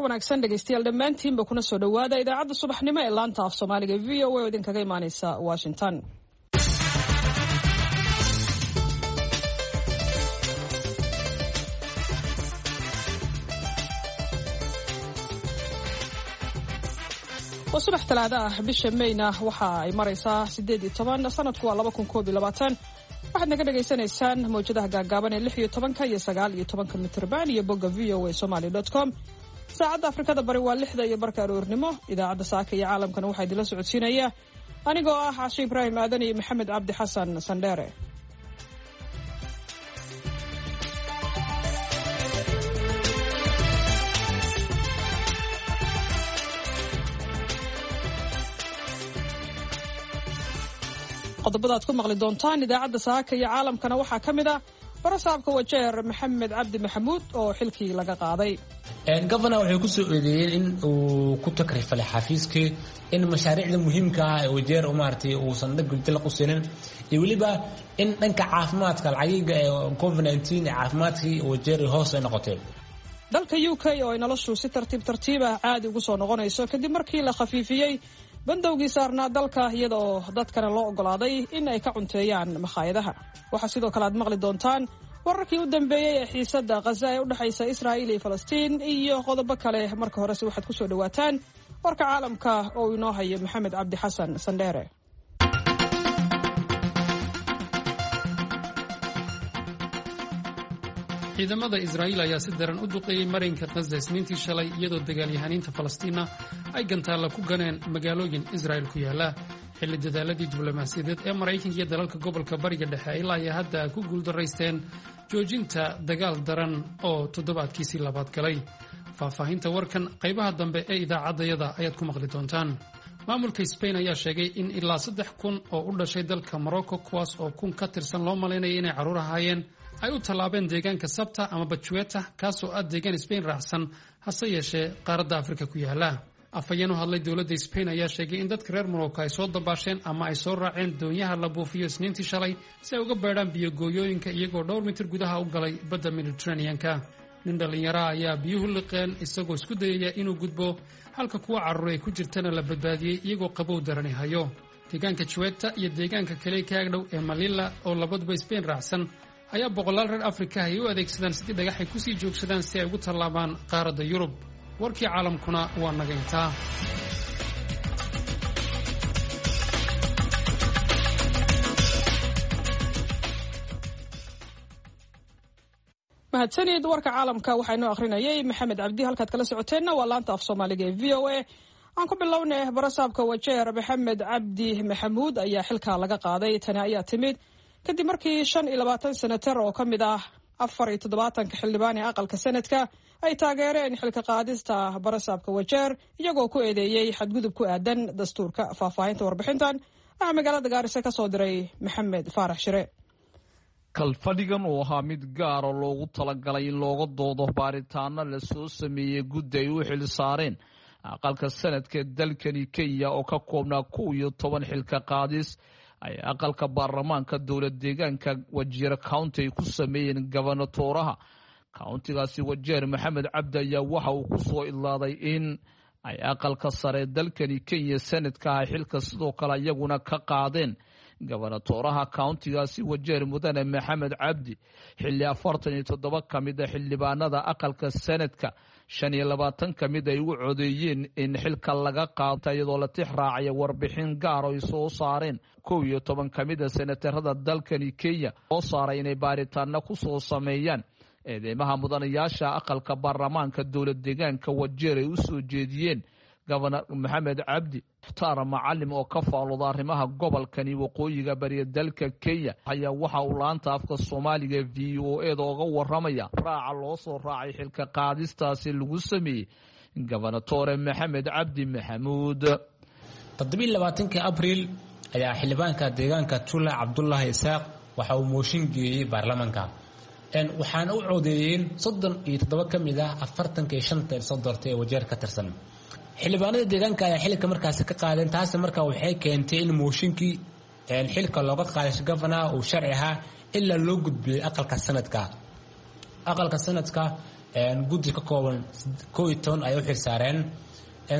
Wanaagsan dhegeystayaal dhammaantiinba, kuna soo dhowaada idaacadda subaxnimo ee laanta af Soomaaliga VOA oo idinkaga imaaneysa Washington. Waa subax Talaado ah, bisha Meyna waxa ay maraysaa 18, sanadku waa 2021. Waxaad naga dhagaysanaysaan mawjadaha gaagaaban ee 16-ka iyo 19-ka mitrban iyo bogga voasomaly.com. Saacadda Afrikada Bari waa 6:30 aroornimo. Idaacadda saaka iyo caalamkana waxaa idinla socodsiinaya anigoo ah Cashe Ibraahim Aadan iyo Maxamed Cabdi Xasan Sandheere. Qodobada aad ku maqli doontaan idaacadda saaka iyo caalamkana waxaa ka mid ah barasaabka Wajeer Maxamed Cabdi Maxamuud oo xilkii laga qaaday. Governor waxay ku soo eedeeyeen in uu ku takrifalay xafiiskii, in mashaariicda muhiimka ah ee Wajeer maaragtay uusan dhag u siinin, iyo weliba in dhanka caafimaadka lacagiga ee COVID-19 ee caafimaadkii Wajeer hoos ay noqotay. Dalka UK oo ay noloshu si tartiib tartiib ah caadi ugu soo noqonayso kadib markii la khafiifiyey bandowgii saarnaa dalka, iyada oo dadkana loo ogolaaday in ay ka cunteeyaan makhaayadaha. Waxaa sidoo kale aad maqli doontaan wararkii u dambeeyey ee xiisadda Khaza ee u dhexaysa Israa'iil iyo Falastiin iyo qodobo kale. Marka horese waxaad ku soo dhowaataan warka caalamka oo inoo hayo Maxamed Cabdi Xasan Sandheere. Ciidamada Israa'iil ayaa si daran u duqeeyey marinka Khaza Isniintii shalay, iyadoo dagaalyahaniinta Falastiinna ay gantaalla ku ganeen magaalooyin Israa'il ku yaala, xilli dadaaladii diblomaasiyadeed ee Maraykanka iyo dalalka gobolka Bariga Dhexe ay ilaa iyo hadda ku guuldaraysteen joojinta dagaal daran oo toddobaadkiisii labaad galay. Faahfaahinta warkan qaybaha dambe ee idaacaddayada ayaad ku maqli doontaan. Maamulka Sbain ayaa sheegay in ilaa 3000 oo u dhashay dalka Morocco, kuwaas oo 1000 ka tirsan loo malaynaya inay carruur ahaayeen, ay u tallaabeen deegaanka Sabta ama Bajueta, kaasoo ah deegaan Sbain raacsan hase yeeshee qaaradda Afrika ku yaala. Afhayeen u hadlay dowladda Sbain ayaa sheegay in dadka reer Morocco ay soo dabaasheen ama ay soo raaceen doonyaha la buufiyo Isniintii shalay si ay uga beedhaan biyogooyooyinka, iyagoo dhowr mitir gudaha u galay badda Mediterraneanka. Nin dhallinyaraha ayaa biyuhu liqeen isagoo isku dayaya inuu gudbo, halka kuwa carruur ay ku jirtana la badbaadiyey iyagoo qabow darani hayo. Deegaanka Juweta iyo deegaanka kale ka agdhow ee Malila oo labaduba Sbain raacsan ayaa boqolaal reer Afrika ay u adeegsadaan sidii dhagaxay kusii joogsadaan si ay ugu tallaabaan qaaradda Yurub. Warkii caalamkuna waa naga intaa. Mahadsanid. Warka caalamka waxaa inoo akhrinayay Maxamed Cabdi. Halkaad kala socoteenna waa laanta af Soomaaliga ee VOA. Aan ku bilownay, barasaabka Wajeer Maxamed Cabdi Maxamuud ayaa xilka laga qaaday. Tani ayaa timid kadib markii 25 senatar oo ka mid ah 74-ka xildhibaan ee aqalka sanadka ay taageereen xilka qaadista barasaabka Wajeer, iyagoo ku eedeeyey xadgudub ku aadan dastuurka. Faahfaahinta warbixintan waxaa magaalada Gaarisa ka soo diray Maxamed Faarax Shire. Kalfadhigan uu ahaa mid gaara loogu talagalay in looga doodo baaritaano la soo sameeyey guddi ay u xil saareen aqalka sanadka dalkani Kenya oo ka koobnaa 11 xilka qaadis ay aqalka baarlamaanka dowlad deegaanka Wajeer County ay ku sameeyeen gobonatooraha countigaasi Wajeer Maxamed Cabdi, ayaa waxa uu ku soo idlaaday in ay aqalka sare dalkani Kenya sanadka ah xilka sidoo kale iyaguna ka qaadeen gobonatooraha countigaasi Wajeer mudane Maxamed Cabdi, xilli 47 ka mid a xildhibaanada aqalka sanadka 25 ka mid ay u codeeyeen in xilka laga qaata, iyadoo la tix raacaya warbixin gaar ay soo saareen 11 ka mid a senatarada dalkani Kenya oo saaray inay baaritaano ku soo sameeyaan eedeymaha mudanayaasha aqalka baarlamaanka dowlad deegaanka Wajeer ay u soo jeediyeen Gobonor Maxamed Cabdi. Mukhtaar Macalim oo ka faalooda arrimaha gobolkani waqooyiga bariya dalka Kenya ayaa waxa uu laanta afka Soomaaliga VOA da oga waramaya raaca loo soo raacay xilka qaadistaasi lagu sameeyey gobonatore Maxamed Cabdi Maxamuud. 27-kii Abriil ayaa xildhibaanka deegaanka Tula Cabdulaahi Isaaq waxa uu mooshin geeyey baarlamaanka, waxaana u codeeyeen 37 ka mid ah 45-ta soo doortay ee Wajeer ka tirsan. Xildhibaanada deegaanka ayaa xilka markaasi ka qaadeen. Taasi markaa waxay keentay in mooshinkii xilka looga qaaday governaha uu sharci ahaa ilaa loo gudbiyey aqalka sanadka. Aqalka sanadka Guddi ka kooban 11 ayay u xilsaareen.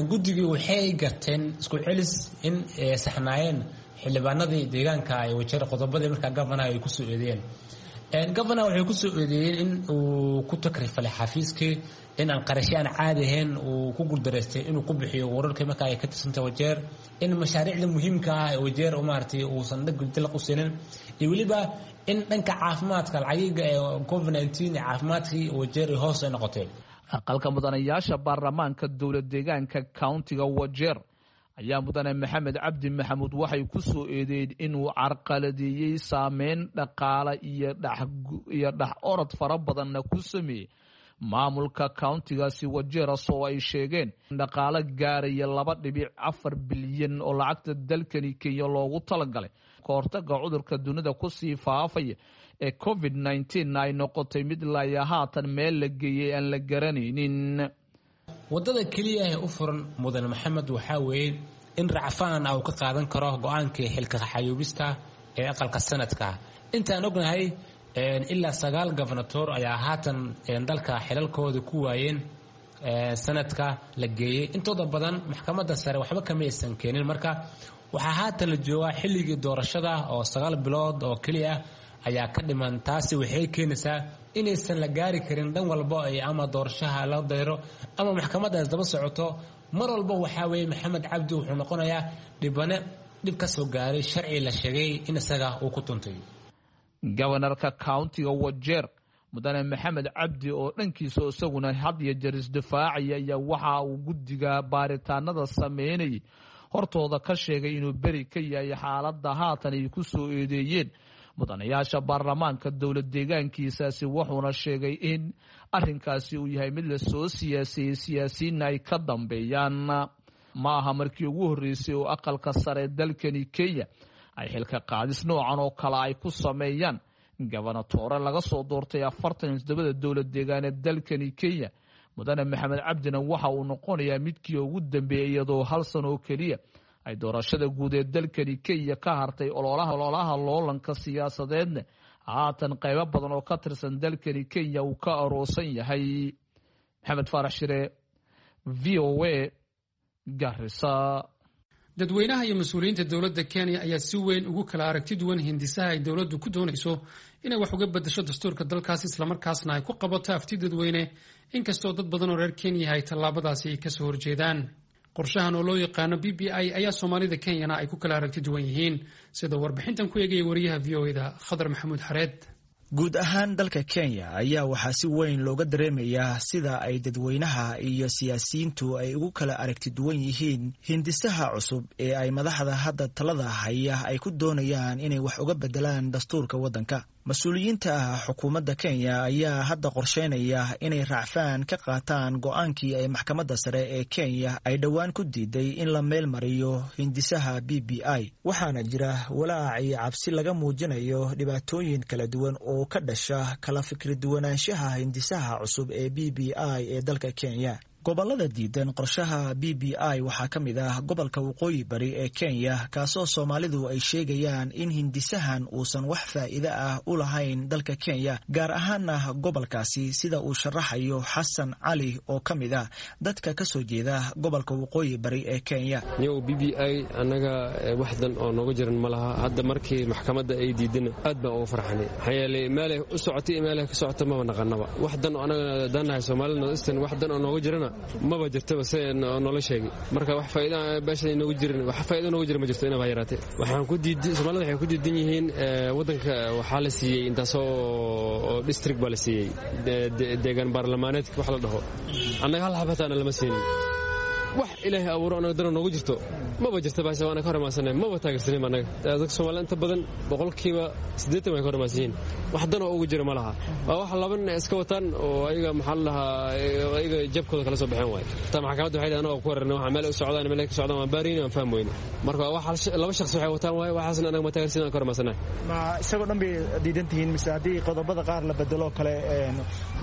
Guddigii waxay garteen isku celis in saxnaayeen xildhibaanadii deegaanka ay Wajeer qodobadii markaa gavanaha ay kusoo eedeeyeen. Gavanaha waxay kusoo eedeeyeen in uu ku takrifalay xafiiskii, in aan qarashyo aan caadi ahayn uu ku guuldareystay inuu ku bixiyo wararkii markaa ay ka tirsantay Wajeer, in mashaariicda muhiimka ah ee Wajeer maaragtay uusan dhag dalaq u siinin, iyo weliba in dhanka caafimaadka lacagiga ee COVID-19 caafimaadkii Wajeer hoos ay noqotay. Aqalka mudanayaasha baarlamaanka dowlad deegaanka countiga Wajeer ayaa mudane Maxamed Cabdi Maxamuud waxay ku soo eedeeyeen inuu carqaladeeyey, saameyn dhaqaale iyo dhex orod fara badanna ku sameeyey maamulka countigaasi Wajeeras, oo ay sheegeen dhaqaalo gaaraya 2.4 bilyan oo lacagta dalkani Kenya loogu talagalay ka hortaga cudurka dunida kusii faafaya ee COVID-19 ay noqotay mid laya haatan meel la geeyey aan la garanaynin. Wadada keliya ee u furan mudane Maxamed waxaa weeye in racfaan ah uu ka qaadan karo go-aankii xilka xayuubista ee aqalka sanadka. Intaan ognahay ilaa 9 gobernatoor ayaa haatan dalka xilalkooda ku waayeen sanadka la geeyey. Intooda badan maxkamadda sare waxba kama aysan keenin. Marka waxaa haatan la joogaa xilligii doorashada oo 9 bilood oo keliya ayaa ka dhiman. Taasi waxay keenaysaa inaysan la gaari karin dhan walba ay ama doorashaha la dayro ama maxkamaddaas daba socoto. Mar walba waxaa weeye Maxamed Cabdi wuxuu noqonayaa dhibane dhib ka soo gaaray sharci la sheegay in isaga uu ku tuntay. Gobanarka countiga Wajeer mudane Maxamed Cabdi oo dhankiisa isaguna had iyo jeer isdifaacaya ayaa waxa uu guddiga baaritaanada sameynayay hortooda ka sheegay inuu beri ka yahay xaaladda haatan ay ku soo eedeeyeen mudanayaasha baarlamaanka dowlad deegaankiisaasi, wuxuuna sheegay in arinkaasi uu yahay mid lasoo siyaasiyey, siyaasiyiinna ay ka dambeeyaan. Ma aha markii ugu horreysay oo aqalka sare dalkani Kenya ay xilka qaadis noocan oo kale ay ku sameeyaan gobernatoore laga soo doortay 47da dowlad deegaaneed dalkani Kenya. Mudane Maxamed Cabdina waxa uu noqonayaa midkii ugu dambeeyey, iyadoo hal sano oo keliya ay doorashada guud ee dalkani Kenya ka hartay. Ololaha loolanka siyaasadeedna haatan qaybo badan oo ka tirsan dalkani Kenya uu ka aroosan yahay. Maxamed Faarax Shire, VOA, Garissa. Dadweynaha iyo mas-uuliyiinta dowladda Kenya ayaa si weyn ugu kala aragti duwan hindisaha ay dowladdu ku doonayso inay wax uga beddesho dastuurka dalkaas, islamarkaasna ay ku qabato afti dadweyne, inkastoo dad badan oo reer Kenya ay tallaabadaasi kasoo horjeedaan. Qorshahan oo loo yaqaano BBI ayaa Soomaalida Kenyana ay ku kala aragti duwan yihiin, sida warbixintan ku eegaya wariyaha VOA-da Khadar Maxamuud Xareed. Guud ahaan dalka Kenya ayaa waxaa si weyn looga dareemayaa sida ay dadweynaha iyo siyaasiyiintu ay ugu kala aragti duwan yihiin hindisaha cusub ee ay madaxda hadda talada haya ay ku doonayaan inay wax uga bedelaan dastuurka waddanka. Mas-uuliyiinta xukuumadda Kenya ayaa hadda qorsheynaya inay raacfaan ka qaataan go-aankii ay maxkamadda sare ee Kenya ay dhowaan ku diiday in la meel mariyo hindisaha BBI, waxaana jira walaac iyo cabsi laga muujinayo dhibaatooyin kala duwan oo ka dhasha kala fikri duwanaanshaha hindisaha cusub ee BBI ee dalka Kenya. Gobolada diidan qorshaha BBI waxaa ka mid ah gobolka Waqooyi Bari ee Kenya, kaasoo Soomaalidu ay sheegayaan in hindisahan uusan wax faa'iide ah u lahayn dalka Kenya, gaar ahaana gobolkaasi, sida uu sharaxayo Xasan Cali oo ka mid ah dadka ka soo jeeda gobolka Waqooyi Bari ee Kenya. Yow BBI annaga waxdan oo nooga jiran ma laha. Hadda markii maxkamadda ay diidana aad baan uga farxanay, maxaa yeelay meelay u socotay iyo meelay ka socota maba naqanaba. Waxdan oo annaga daanahay Soomaalida Northeastern waxdan oo nooga jirana maba jirtaba se noola sheegay. Marka wax faa'iida beesha inoogu jirin, wax faa'iido noogu jira ma jirto inaba yaraatee. Waxaan ku diiday, Soomaalida waxay ku diidan yihiin waddanka waxaa la siiyey intaasoo oo district baa la siiyey, deegaan baarlamaaneedka wax la dhaho, annaga hal xabataana lama siinin. Wax Ilaahay abuuro annaga dana noogu jirto maba jirta baasha, waana ka hormaansanay, maba taageersanin annaga. Dadka Soomaalida inta badan 80% way ka hormaansan yihiin, wax dan oo ugu jira ma laha. Waa wax laba nin iska wataan oo ayaga maxaa la dhahaa ayaga jabkooda kala soo baxeen waay. Taa maxkamadda waxay dhahaan oo ku weerarnay waxa meel u socdaan, meel ka socdaan waan baariin waan fahmi weyne. Marka wax laba shakhsi waxay wataan waay, waxaasna annaga ma taageersanin, waan ka hormaansanay. Ma isagoo dhan bay diidan tihiin mise haddii qodobada qaar la bedelo kale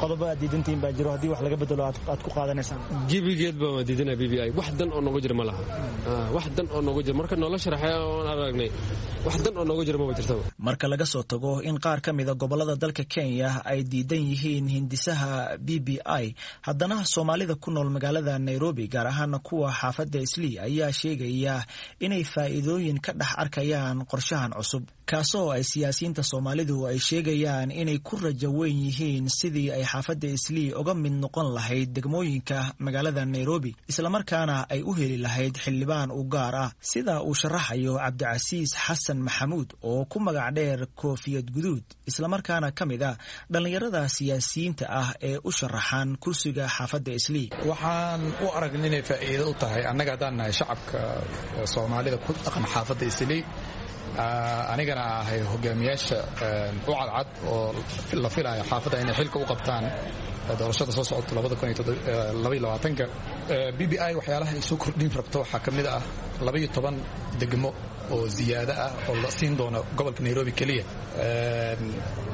qodobo aad diidan tihiin baa jiro, haddii wax laga bedelo aad ku qaadanaysaan? Gebigeed baa waan diidanaa BBI. I wax dan oo nooga jira ma laha, wax dan oo nooga jira marka noola sharaxay oon aragnay, wax dan oo nooga jira maba jirtaba. Marka laga soo tago in qaar ka mida gobolada dalka Kenya ay diidan yihiin hindisaha BBI, haddana Soomaalida ku nool magaalada Nairobi, gaar ahaana kuwa xaafadda Islii, ayaa sheegaya inay faa'iidooyin ka dhex arkayaan qorshahan cusub, kaasoo ay siyaasiyiinta Soomaalidu ay sheegayaan inay ku rajo weyn yihiin sidii ay xaafadda Islii uga mid noqon lahayd degmooyinka magaalada Nairobi, islamarkaana ay u heli lahayd xildhibaan u gaar ah, sida uu sharaxayo Cabdicasiis Xasan Maxamuud oo ku magac dheer Koofiyad Guduud, islamarkaana ka mid ah dhallinyarada siyaasiyiinta ah ee u sharaxan kursiga xaafadda Islii. Waxaan u aragna inay faa'iido u tahay annaga haddaan nahay shacabka Soomaalida ku dhaqan xaafadda Islii, anigana ahay hogaamiyaasha u cadcad oo la filayo xaafadda inay xilka u qabtaan doorashada soo socota ka. BBI waxyaalaha ay soo kordhin rabto waxaa ka mid ah 12 degmo oo ziyaado ah oo la siin doono gobolka Nairobi keliya.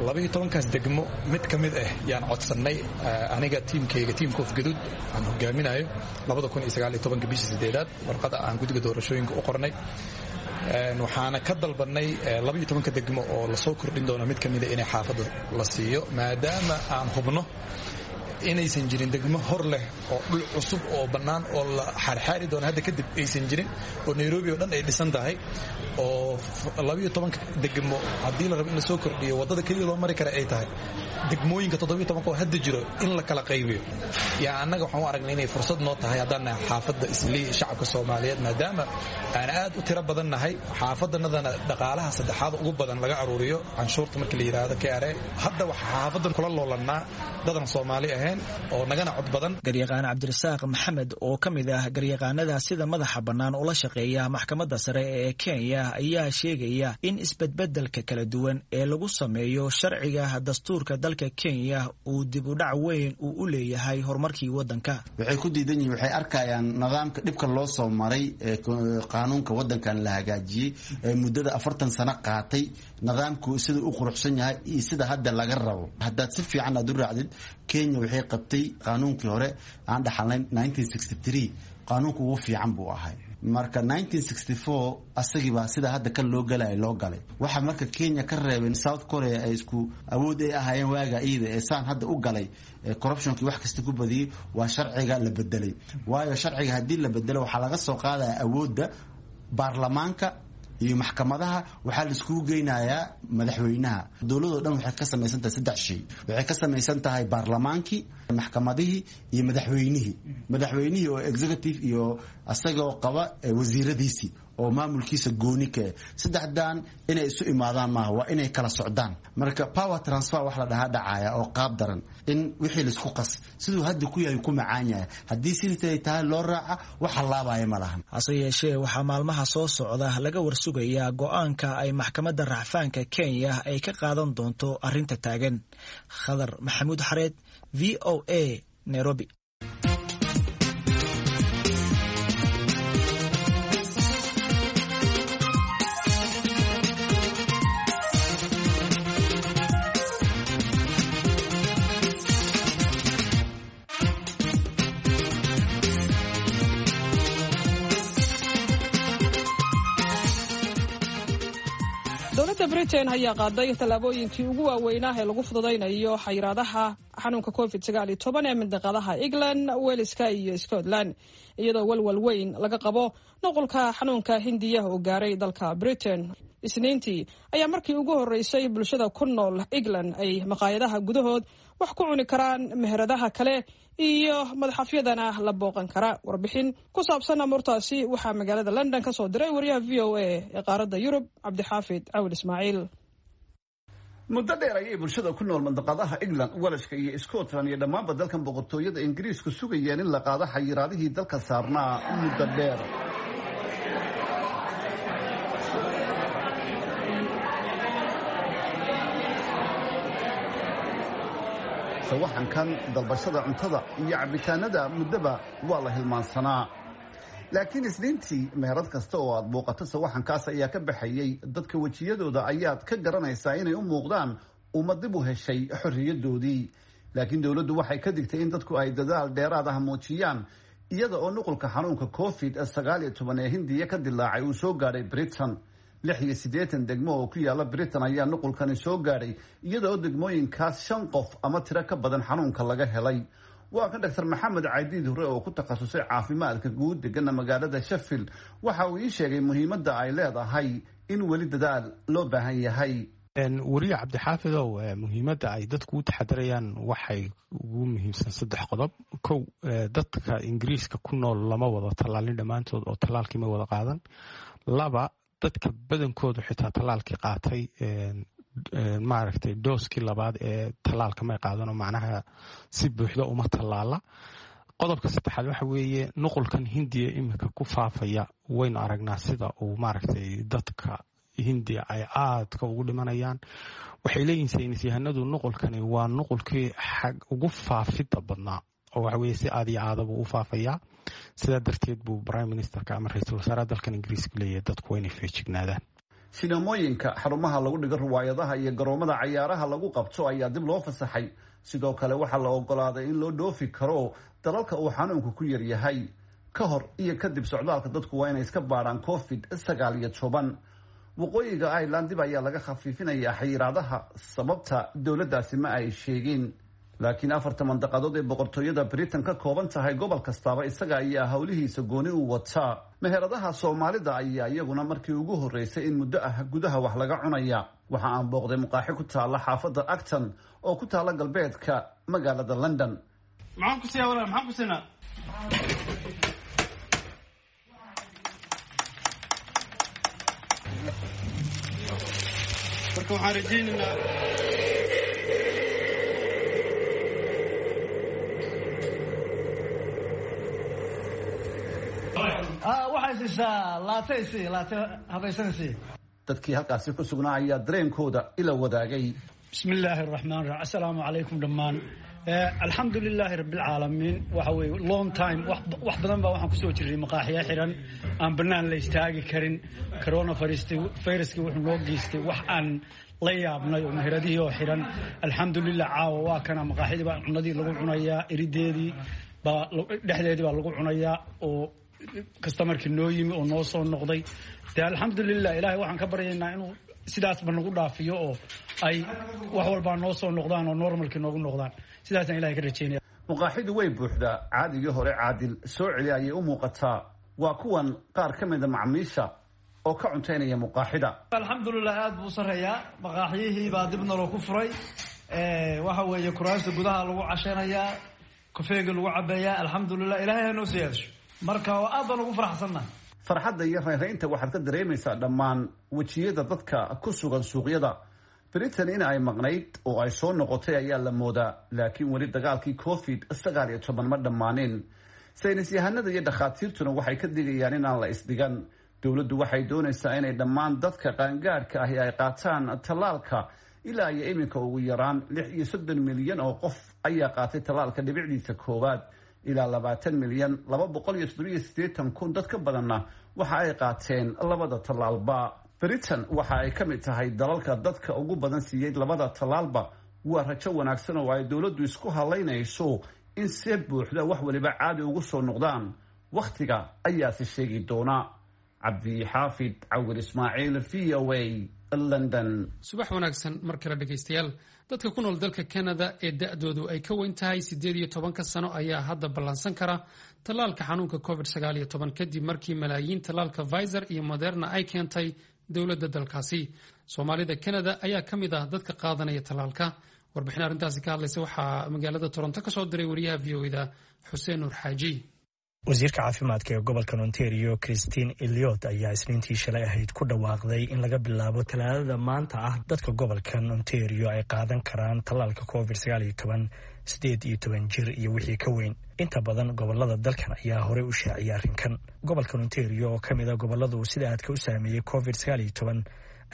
12-kaas degmo mid ka mid ah yaan codsannay aniga tiimkayga, tiimka Ofgaduud aan hogaaminayo, bishii sideedaad warqada aan guddiga doorashooyinka u qornay. Waxaana ka dalbannay 12-ka degmo oo lasoo kordhin doono mid ka mida inay xaafadda la siiyo, maadaama aan hubno inaysan jirin degmo hor leh oo dhul cusub oo bannaan oo la xaarxaari doono hadda kadib aysan jirin, oo Nairobi oo dhan ay dhisan tahay, oo 12-ka degmo haddii la rabo in lasoo kordhiyo waddada keliya loo mari kara ay tahay degmooyinka 17-ka oo hadda jiro in la kala qaybiyo. Yaa annaga waxaan u aragnay inay fursad noo tahay haddaan nahay xaafadda Islii, shacabka Soomaaliyeed, maadaama aan aad u tiro badan nahay, xaafaddanadana dhaqaalaha saddexaad ugu badan laga aruuriyo canshuurta marka la yidhaahdo KRA. Hadda waxaa xaafaddan kula loolannaa dadan Soomaali ahayn oo nagana cod badan. Garyaqaan Cabdirasaaq Maxamed oo ka mid ah garyaqaanada sida madaxa bannaan ula shaqeeya maxkamadda sare ee Kenya ayaa sheegaya in isbedbedelka kala duwan ee lagu sameeyo sharciga dastuurka dalka Kenya uu dib u dhac weyn uu u leeyahay horumarkii waddanka. Waxay ku diidan yihiin, waxay arkayaan nidaamka dhibka loo soo maray ee qaanuunka waddankan la hagaajiyey ee muddada 40 sano qaatay, nidaamku sida u quruxsan yahay iyo sida hadda laga rabo. Haddaad si fiican aad u raacdid, Kenya waxay qabtay qaanuunkii hore aan dhaxalnayn 1963, qaanuunka ugu fiican buu ahay. Marka 1964 asagiibaa sida hadda kan loo galaya loo galay. Waxaa marka Kenya ka reebeen South Korea ay isku awood ay ahaayeen waaga iyada ee saan hadda u galay corruptionkii wax kasta ku badiyey waa sharciga la bedelay. Waayo sharciga haddii la bedelo waxaa laga soo qaadaya awoodda baarlamaanka iyo maxkamadaha, waxaa la iskugu geynayaa madaxweynaha. Dowladoo dhan waxay ka samaysan tahay saddex shay. Waxay ka samaysan tahay baarlamaankii, maxkamadihii iyo madaxweynihii. Madaxweynihii oo executive iyo isagoo qaba wasiiradiisii oo maamulkiisa gooni ka eh. Saddexdan inay isu imaadaan maaha, waa inay kala socdaan. Marka power transfer wax la dhahaa dhacaya oo qaab daran in wixii laisku qas siduu hadda ku yahay ku macaan yahay, haddii sidii tahay loo raaca wax halaabaya ma lahan. Hase yeeshee waxaa maalmaha soo socda laga warsugayaa go'aanka ay maxkamadda racfaanka Kenya ay ka qaadan doonto arrinta taagan. Khadar Maxamuud Xareed, VOA, Nairobi. Dowladda Britain ayaa qaaday tallaabooyinkii ugu waaweynaa ee lagu fududaynayo xayiraadaha xanuunka COVID 19 ee mindaqadaha England, Waleska iyo Scotland, iyadoo walwal weyn laga qabo nuqulka xanuunka Hindiya oo gaaray dalka Britain. Isniintii ayaa markii ugu horreysay bulshada ku nool England ay maqaayadaha gudahood wax ku cuni karaan, meheradaha kale iyo madxafyadana la booqan kara. Warbixin ku saabsan amuurtaasi waxaa magaalada London ka soo diray wariyaha VOA ee qaaradda Yurub, Cabdixaafid Cawil Ismaaciil. Muddo dheer ayay bulshada ku nool mandaqadaha England, Walashka iyo Scotland iyo dhammaanba dalkan boqortooyada Ingiriisku sugayeen in la qaado xayiraadihii dalka saarnaa muddo dheer. Sawaxankan dalbashada cuntada iyo cabitaanada muddaba waa la hilmaansanaa, laakiin Isniintii meherad kasta oo aad booqato sawaxankaas ayaa ka baxayey. Dadka wejiyadooda ayaad ka garanaysaa inay u muuqdaan ummad dib u heshay xorriyadoodii, laakiin dowladdu waxay ka digtay in dadku ay dadaal dheeraad ah muujiyaan Iyada oo nuqulka xanuunka COVID-19 ee Hindiya ka dilaacay uu soo gaadhay Britain, 86 degmo oo ku yaala Britain ayaa nuqulkani soo gaadhay, iyada oo degmooyinkaas 5 qof ama tiro ka badan xanuunka laga helay. Waa kan Dr Maxamed Cadiid Hore oo ku takhasusay caafimaadka guud, degana magaalada Sheffield. Waxa uu ii sheegay muhiimadda ay leedahay in weli dadaal loo baahan yahay. Weriye Cabdixaafidow, muhiimadda ay dadku u taxadarayaan waxay ugu muhiimsan 3 qodob. Kow, dadka Ingiriiska ku nool lama wada tallaalin dhammaantood oo tallaalkii ma wada qaadan. 2, dadka badankoodu xitaa tallaalkii qaatay, maaragtay, dooskii labaad ee tallaalka may qaadanoo macnaha si buuxda uma tallaala. Qodobka saddexaad waxa weeye nuqulkan Hindiya iminka ku faafaya. Waynu aragnaa sida uu, maaragtay, dadka Hindiya ay aadka ugu dhimanayaan. Waxay leeyihin saynis yahanadu nuqulkani waa nuqulkii xag ugu faafidda badnaa, oo waxa weye si aad iyo aadabuu u faafayaa. Sidaa darteed buu prime ministerka ama ra-iisul wasaaraha dalkan Ingiriiska leeyahay dadku waa inay feejignaadaan. Sinamooyinka, xarumaha lagu dhigo riwaayadaha iyo garoomada cayaaraha lagu qabto ayaa dib loo fasaxay. Sidoo kale waxaa la ogolaaday in loo dhoofi karo dalalka uu xanuunku ku yaryahay. Ka hor iyo kadib socdaalka dadku waa inay iska baadhaan COVID-19. Waqooyiga Ireland dib ayaa laga khafiifinayaa xayiraadaha, sababta dowladdaasi ma ay sheegin, laakiin 4-ta mandaqadood ee boqortooyada Britain ka kooban tahay, gobol kastaaba isaga ayaa howlihiisa gooni u wataa. Meheradaha Soomaalida ayaa iyaguna markii ugu horreysay in muddo ah gudaha wax laga cunaya. Waxa aan booqday muqaaxi ku taalla xaafadda Acton oo ku taalla galbeedka magaalada London. Maxaan ku siiyaa walaal? Maxaan ku siinaa? Marka waxaan rajaynaynaa Waxay siisaa laate, si laate habaysanaysi. Dadkii halkaasi ku sugnaa ayaa dareenkooda ila wadaagay. Bismi illaahi araxmaan raxiim. Assalaamu calaykum dhammaan. Alxamdu lilaahi rabbilcaalamiin. Waxa weeye long time, wax badan baa waxaan kusoo jirnay maqaaxiyo xiran, aan bannaan la istaagi karin. Corona viruskii wuxuu noo geystay wax aan la yaabnay oo meheradihii oo xiran. Alxamdulilah, caawa waa kana maqaaxidii baa cunadii lagu cunayaa, erideedii baa dhexdeedii baa lagu cunayaa, oo kastamarkii noo yimi oo noo soo noqday. Dee alxamdulilah, ilaahay waxaan ka baryaynaa inuu sidaasba nagu dhaafiyo oo ay wax walbaa noo soo noqdaan oo normalkii noogu noqdaan. Sidaasaan ilahay ka rajaynaya. Muqaaxidu way buuxdaa. Caadigii hore caadil soo celi ayay u muuqataa. Waa kuwan qaar ka mida macmiisha oo ka cuntaynaya muqaaxida. Alxamdulilah, aad buu u sarreeyaa. Maqaaxyihii baa dib naloo ku furay. Waxa weeye kuraasta gudaha lagu casheynayaa, kofeega lagu cabeeyaa. Alxamdulilah, ilahay ha noo siyaadasho. Marka aad baan ugu faraxsannahay. Farxadda iyo raynraynta waxaad ka dareemaysaa dhammaan wejiyada dadka ku sugan suuqyada. Britain in ay maqnayd oo ay soo noqotay ayaa la moodaa, laakiin weli dagaalkii COVID-19 ma dhammaanin. Saynis yahanada iyo dhakhaatiirtuna waxay ka digayaan inaan la isdhigan. Dowladdu waxay doonaysaa inay dhammaan dadka qaangaadhka ahi ay qaataan tallaalka. Ilaa iyo iminka ugu yaraan 36 milyan oo qof ayaa qaatay tallaalka dhibicdiisa koowaad. Ilaa 20,287,000 dad ka badanna waxa ay qaateen labada tallaalba. Britain waxa ay ka mid tahay dalalka dadka ugu badan siiyey labada tallaalba. Waa rajo wanaagsan oo ay dowladdu isku halaynayso in see buuxda wax waliba caadi ugu soo noqdaan. Wakhtiga ayaase sheegi doona. Cabdixaafid Cawil Ismaaciil, VOA, London. Subax wanaagsan mar kale, dhegaystayaal. Dadka ku nool dalka Canada ee da-doodu ay ka weyn tahay 18-ka sano ayaa hadda ballansan kara tallaalka xanuunka COVID-19, kadib markii malaayiin tallaalka Pfizer iyo Moderna ay keentay dowladda dalkaasi. Soomaalida Canada ayaa ka mid ah dadka qaadanaya tallaalka. Warbixin arrintaasi ka hadlaysa waxaa magaalada Toronto ka soo diray wariyaha VOA-da Xuseen Nuur Xaaji. Wasiirka caafimaadka ee gobolka Ontario, Christine Eliot, ayaa Isniintii shalay ahayd ku dhawaaqday in laga bilaabo Talaadada maanta ah dadka gobolkan Ontario ay qaadan karaan tallaalka COVID 19, 18 jir iyo wixii ka weyn. Inta badan gobolada dalkan ayaa horey u shaaciyay arrinkan. Gobolkan Ontario oo ka mid a gobolada uu sida aadka u saameeyey COVID 19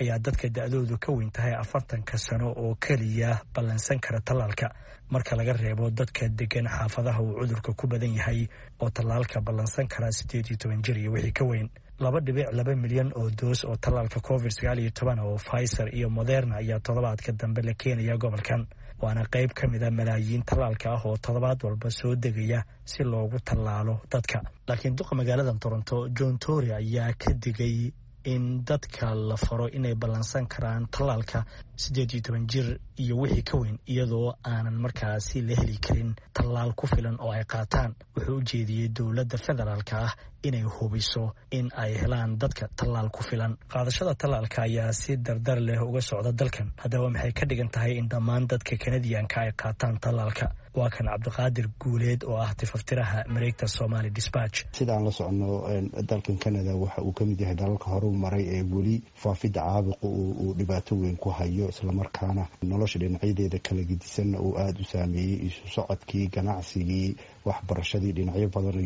ayaa dadka da-doodu ka weyn tahay 40-ka sano oo keliya ballansan kara tallaalka, marka laga reebo dadka degan xaafadaha uu cudurka ku badan yahay oo tallaalka ballansan kara 18 jir iyo wixii ka weyn. 2.2 milyan oo doos oo tallaalka COVID 19 oo Pfizer iyo Moderna ayaa toddobaadka dambe la keenaya gobolkan. Waana qayb ka mid a malaayiin tallaalka ah oo toddobaad walba soo degaya si loogu tallaalo dadka. Laakiin duqa magaalada Toronto John Tory ayaa ka digay in dadka la faro inay ballansan karaan tallaalka 18 jir iyo wixii ka weyn, iyadoo aanan markaasi la heli karin tallaal ku filan oo ay qaataan. Wuxuu u jeediyey dowladda federaalka ah inay hubiso in ay helaan dadka tallaal ku filan. Qaadashada tallaalka ayaa si dardar leh uga socda dalkan. Haddaba maxay ka dhigan tahay in dhammaan dadka Kanadiyanka ay qaataan tallaalka? Waa kan Cabdiqaadir Guuleed oo ah tifaftiraha mareegta Somali Dispatch. Sidaan la soconno, dalkan Canada waxa uu ka mid yahay dalalka horu maray ee weli faafidda caabuqa uu dhibaato weyn ku hayo, islamarkaana nolosha dhinacyadeeda kala gedisanna uu aada u saameeyey. Isu socodkii, ganacsigii, waxbarashadii, dhinacyo badan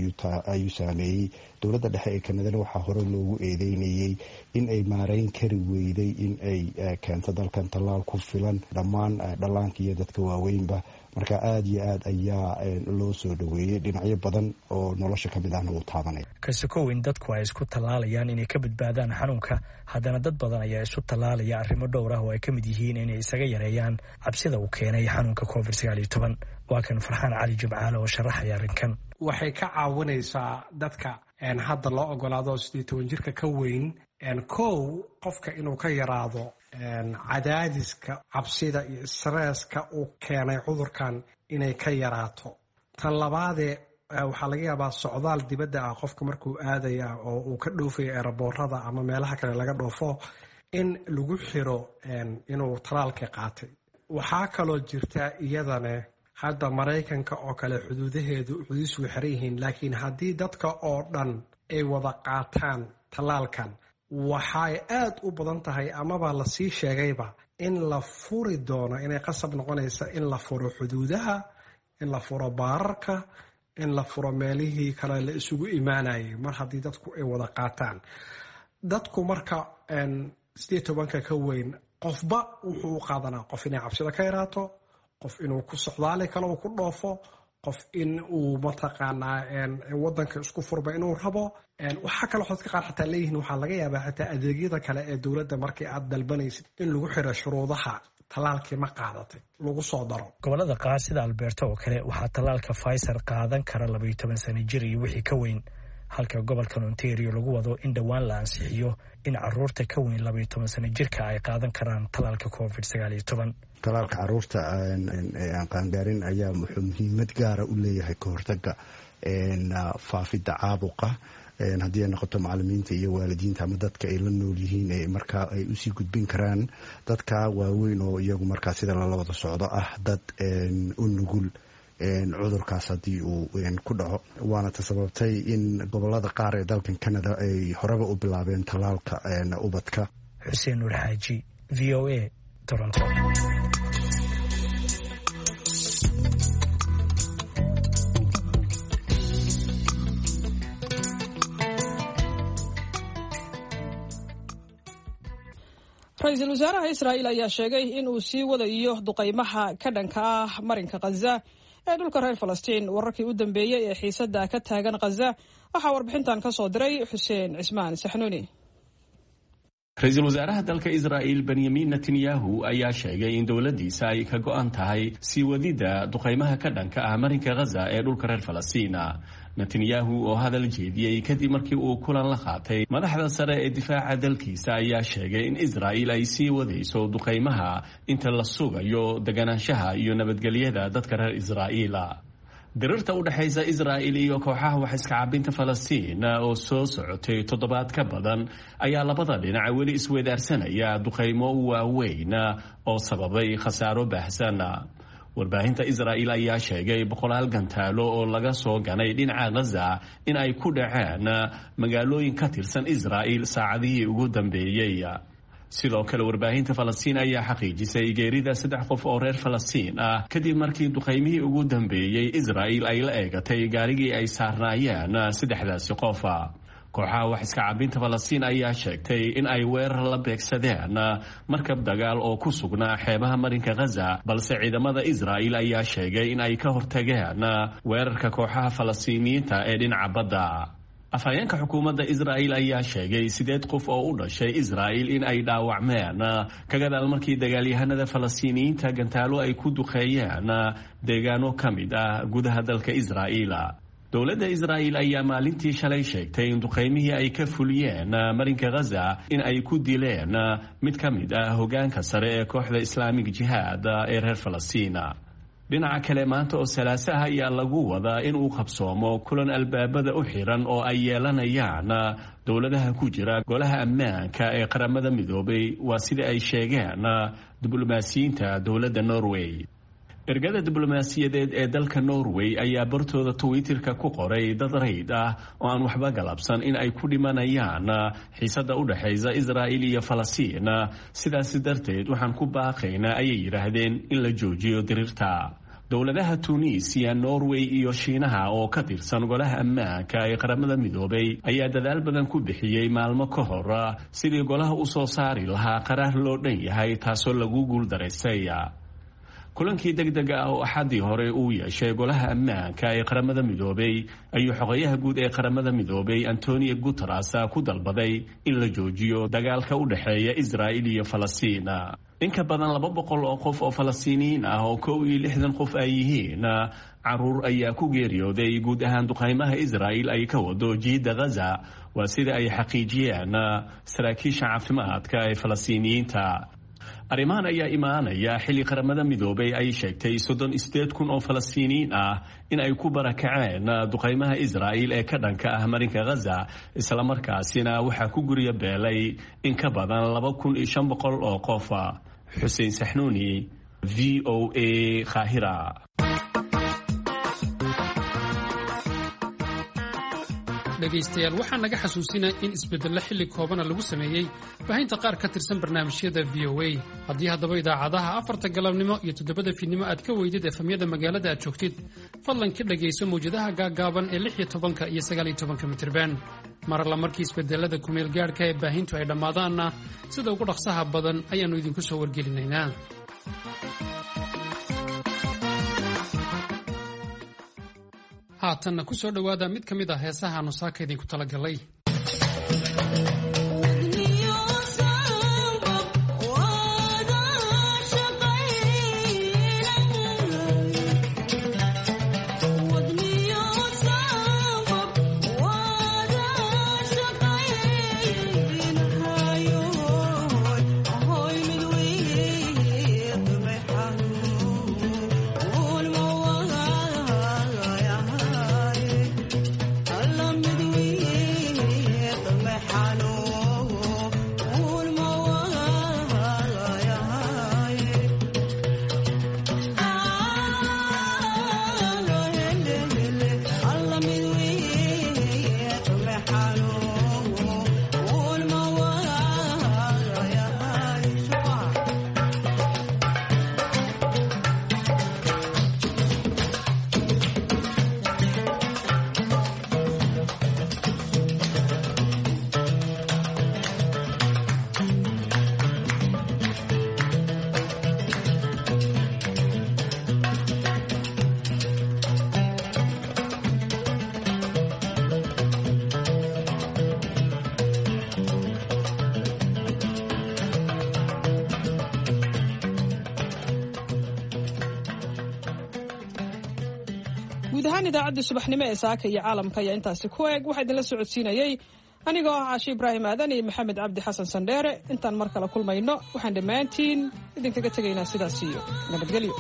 ayuu saameeyey. Dowladda dhexe ee Kanadana waxaa hore loogu eedeynayey in ay maareyn kari weyday in ay keento dalkan tallaal ku filan dhammaan dhallaanka iyo dadka waaweynba. Marka aada iyo aad ayaa loo soo dhoweeyey, dhinacyo badan oo nolosha ka mid ahna uu taabanaya. Kasokow in dadku ay isku tallaalayaan inay ka badbaadaan xanuunka, haddana dad badan ayaa isu tallaalaya arrimo dhowr ah oo ay ka mid yihiin inay isaga yareeyaan cabsida uu keenay xanuunka COVID-19. Waa kan Farxaan Cali Jimcaale oo sharaxaya arrinkan. Waxay ka caawinaysaa dadka hadda loo ogolaado 18 jirka ka weyn, kow, qofka inuu ka yaraado cadaadiska cabsida iyo stresska uu keenay cudurkan inay ka yaraato. Tan labaadee, waxaa laga yaabaa socdaal dibadda ah qofka markuu aadaya oo uu ka dhoofayo eeraboorada ama meelaha kale laga dhoofo in lagu xiro inuu talaalka qaatay. Waxaa kaloo jirta iyadane hadda Maraykanka oo kale xuduudaheedu xuduudiisu way xiran yihiin, laakiin haddii dadka oo dhan ay wada qaataan tallaalkan, waxay aad u badan tahay amaba lasii sheegayba in la furi doono, inay qasab noqonaysa in la furo xuduudaha, in la furo baararka, in la furo meelihii kale la isugu imaanayay mar haddii dadku ay wada qaataan. Dadku marka 18-ka ka weyn, qofba wuxuu u qaadanaa qof inay cabsida ka yaraato, qof inuu ku socdaali kale uu ku dhoofo, qof in uu mataqaanaa wadanka isku furba inuu rabo. Waxaa kaloo dadka qaar xataa leeyihiin waxaa laga yaabaa xataa adeegyada kale ee dowladda markii aad dalbanaysid in lagu xiro shuruudaha tallaalkii ma qaadatay lagu soo daro. Gobolada qaar sida Alberta oo kale waxaa tallaalka Pfizer qaadan kara 12 sano jir iyo wixii ka weyn, halka gobolkan Ontario lagu wado in dhowaan la ansixiyo in caruurta ka weyn 12 sano jirka ay qaadan karaan tallaalka COVID-19. Talaalka caruurta ee aan qaangaarin ayaa wuxuu muhiimad gaara u leeyahay ka hortaga faafidda caabuqa, haddii ay noqoto macalimiinta iyo waalidiinta ama dadka ay la nool yihiin ee markaa ay usii gudbin karaan dadka waaweyn oo iyagu markaa sida lala wada socdo ah dad u nugul cudurkaas haddii uu ku dhaco. Waana ta sababtay in gobolada qaar ee dalkan Canada ay horeba u bilaabeen tallaalka ubadka. Xuseen Nuur Xaaji, V O A, Toronto. Ra-iisul wasaaraha Israa'iil ayaa sheegay in uu sii wadayo duqaymaha ka dhanka ah marinka Khaza ee dhulka reer Falastiin. Wararkii u dambeeyey ee xiisadda ka taagan Khaza waxaa warbixintan ka soo diray Xuseen Cismaan Saxnuuni. Ra-iisul wasaaraha dalka Israa'il Benyamin Netanyahu ayaa sheegay in dowladdiisa ay ka go'an tahay sii wadidda duqaymaha ka dhanka ah marinka Khaza ee dhulka reer Falastiina. Netanyahu oo hadal jeediyey kadib markii uu kulan la qaatay madaxda sare ee difaaca dalkiisa ayaa sheegay in Israa'il ay sii wadayso duqaymaha inta la sugayo deganaanshaha iyo nabadgelyada dadka reer Israa'iila. Dirirta u dhexaysa Israa'il iyo kooxaha wax iska cabinta Falastiin oo soo socotay toddobaad ka badan ayaa labada dhinac weli isweydaarsanaya duqaymo waaweyn oo sababay khasaaro baahsan. Warbaahinta Israa'il ayaa sheegay boqolaal gantaalo oo laga soo ganay dhinaca Khaza in ay ku dhaceen magaalooyin ka tirsan Israa'il saacadihii ugu dambeeyey. Sidoo kale, warbaahinta Falastiin ayaa xaqiijisay geerida saddex qof oo reer Falastiin ah kadib markii duqaymihii ugu dambeeyey Israa'il ay la eegatay gaarigii ay saarnaayeen saddexdaasi qof. Kooxaha wax iska cabinta Falastiin ayaa sheegtay in ay weerar la beegsadeen markab dagaal oo ku sugnaa xeebaha marinka Khaza, balse ciidamada Israa'il ayaa sheegay in ay ka hortageen weerarka kooxaha Falastiiniyiinta ee dhinaca badda. Afhayeenka xukuumadda Israa'il ayaa sheegay 8 qof oo u dhashay Israa'il in ay dhaawacmeen ka gadaal markii dagaalyahanada Falastiiniyiinta gantaalo ay ku duqeeyeen deegaano ka mid ah gudaha dalka Israa'iil. Dowladda Israa'il ayaa maalintii shalay sheegtay in duqaymihii ay ka fuliyeen marinka Ghaza in ay ku dileen mid ka mid ah hoggaanka sare ee kooxda Islaamic Jihaad ee reer Falastiin. Dhinaca kale, maanta oo Salaasaha ayaa lagu wadaa in uu qabsoomo kulan albaabada u xiran oo ay yeelanayaan dowladaha ku jira golaha ammaanka ee Qaramada Midoobay, waa sida ay sheegeen diblomaasiyiinta dowladda Norway. Ergada diblomaasiyadeed ee dalka Norway ayaa bartooda Twitterka ku qoray dad rayd ah oo aan waxba galabsan in ay ku dhimanayaan xiisadda u dhexaysa Israa'il iyo Falastiin. Sidaasi darteed waxaan ku baaqaynaa, ayay yidhaahdeen, in la joojiyo diriirta. Dowladaha Tuuniisiya, Norway iyo Shiinaha oo ka tirsan golaha ammaanka ee Qaramada Midoobay ayaa dadaal badan ku bixiyey maalmo ka hor sidii golaha u soo saari lahaa qaraar loo dhan yahay, taasoo lagu guuldaraystay. Kulankii degdega ah oo Axaddii hore uu yeeshay golaha ammaanka ee Qaramada Midoobay ayuu xogayaha guud ee Qaramada Midoobay Antonio Guteres ku dalbaday in la joojiyo dagaalka u dhexeeya Israa'il iyo Falastiin. In ka badan 200 oo qof oo Falastiiniyiin ah oo 61 qof ay yihiin caruur ayaa ku geeriyooday guud ahaan duqaymaha Israa'il ay ka wado jiidda Ghaza, waa sida ay xaqiijiyeen saraakiisha caafimaadka ee Falastiiniyiinta. Arrimahan ayaa imaanaya xilli Qaramada Midoobay ay sheegtay 38,000 oo Falastiiniyiin ah in ay ku barakaceen duqaymaha Israa'il ee ka dhanka ah marinka Ghaza, islamarkaasina waxaa ku gurya beelay in ka badan 2,500 oo qof. Xuseen Saxnuuni, VOA, Qaahira. Dhegaystayaal, waxaa naga xasuusinaa in isbeddello xilli koobana lagu sameeyey baahinta qaar ka tirsan barnaamijyada VOA. Haddii haddaba idaacadaha 4ta galabnimo iyo 7da fiidnimo aad ka weydid efamyada magaalada aad joogtid, fadlan ka dhegayso mawjadaha gaaggaaban ee 16ka iyo 19ka mitirban. Mar alla markii isbedelada kumeel gaadhka ee baahintu ay dhammaadaanna, sida ugu dhaqsaha badan ayaannu idinku soo wargelinaynaa. Haatanna ku soo dhowaada mid ka mid ah heesaha aanu saaka idinku talagalay. Guud ahaan idaacaddii subaxnimo ee saaka iyo caalamka ayaa intaasi ku eg. Waxaa idinla socodsiinayey anigoo ah Caashi Ibraahim Aadan iyo Maxamed Cabdi Xasan Sandheere. Intaan mar kale kulmayno, waxaan dhammaantiin idinkaga tegaynaa sidaas iyo nabadgelyo.